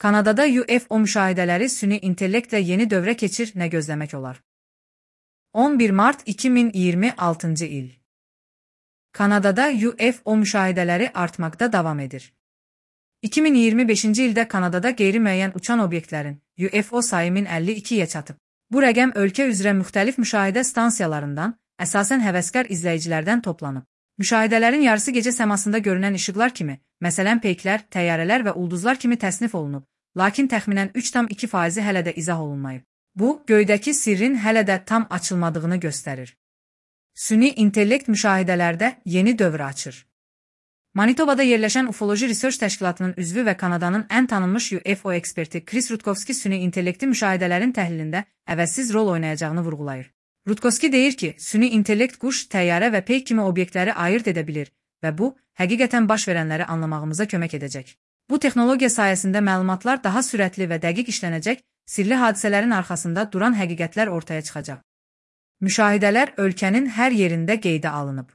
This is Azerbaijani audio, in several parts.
Kanadada UFO müşahidələri süni intellektlə yeni dövrə keçir, nə gözləmək olar? 11 mart 2026 il. Kanadada UFO müşahidələri artmaqda davam edir. 2025-ci ildə Kanadada qeyri-müəyyən uçan obyektlərin UFO sayı 1052-yə çatıb. Bu rəqəm ölkə üzrə müxtəlif müşahidə stansiyalarından, əsasən həvəskar izləyicilərdən toplanıb. Müşahidələrin yarısı gecə səmasında görünən işıqlar kimi, məsələn peyklər, təyyarələr və ulduzlar kimi təsnif olunub, lakin təxminən 3,2% hələ də izah olunmayıb. Bu, göydəki sirrin hələ də tam açılmadığını göstərir. Süni intellekt müşahidələrdə yeni dövr açır. Manitobada yerləşən Ufoloji Research təşkilatının üzvü və Kanadanın ən tanınmış UFO eksperti Chris Rutkowski süni intellekti müşahidələrin təhlilində əvəzsiz rol oynayacağını vurğulayır. Rutkowski deyir ki, süni intellekt quş, təyyarə və peyk kimi obyektləri ayırt edə bilir və bu, həqiqətən baş verənləri anlamağımıza kömək edəcək. Bu texnologiya sayəsində məlumatlar daha sürətli və dəqiq işlənəcək, sirli hadisələrin arxasında duran həqiqətlər ortaya çıxacaq. Müşahidələr ölkənin hər yerində qeydə alınıb.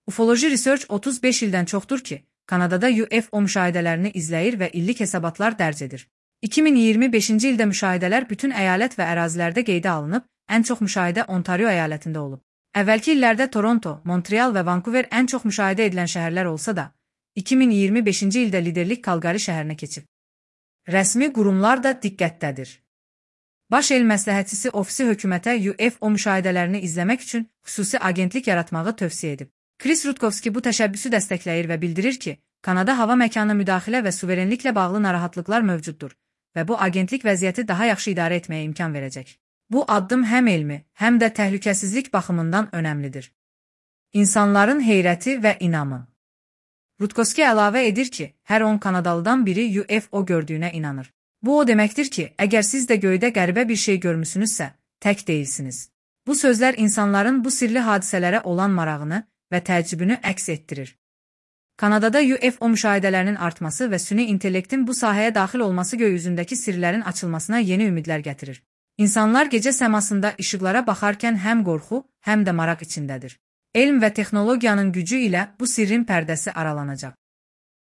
Ufoloji Research 35 ildən çoxdur ki, Kanadada UFO müşahidələrini izləyir və illik hesabatlar dərc edir. 2025-ci ildə müşahidələr bütün əyalət və ərazilərdə qeydə alınıb, ən çox müşahidə Ontario əyalətində olub. Əvvəlki illərdə Toronto, Montreal və Vancouver ən çox müşahidə edilən şəhərlər olsa da, 2025-ci ildə liderlik Kalqari şəhərinə keçib. Rəsmi qurumlar da diqqətdədir. Baş el məsləhətçisi ofisi hökumətə UFO müşahidələrini izləmək üçün xüsusi agentlik yaratmağı tövsiyə edib. Chris Rutkowski bu təşəbbüsü dəstəkləyir və bildirir ki, Kanada hava məkanına müdaxilə və suverenliklə bağlı narahatlıqlar mövcuddur və bu agentlik vəziyyəti daha yaxşı idarə etməyə imkan verəcək. Bu addım həm elmi, həm də təhlükəsizlik baxımından önəmlidir. İnsanların heyrəti və inamı. Rutkowski əlavə edir ki, hər 10 Kanadalıdan biri UFO gördüyünə inanır. Bu o deməkdir ki, əgər siz də göydə qəribə bir şey görmüsünüzsə, tək deyilsiniz. Bu sözlər insanların bu sirli hadisələrə olan marağını və təəccübünü əks etdirir. Kanadada UFO müşahidələrinin artması və süni intellektin bu sahəyə daxil olması göy üzündəki sirlərin açılmasına yeni ümidlər gətirir. İnsanlar gecə səmasında işıqlara baxarkən həm qorxu, həm də maraq içindədir. Elm və texnologiyanın gücü ilə bu sirrin pərdəsi aralanacaq.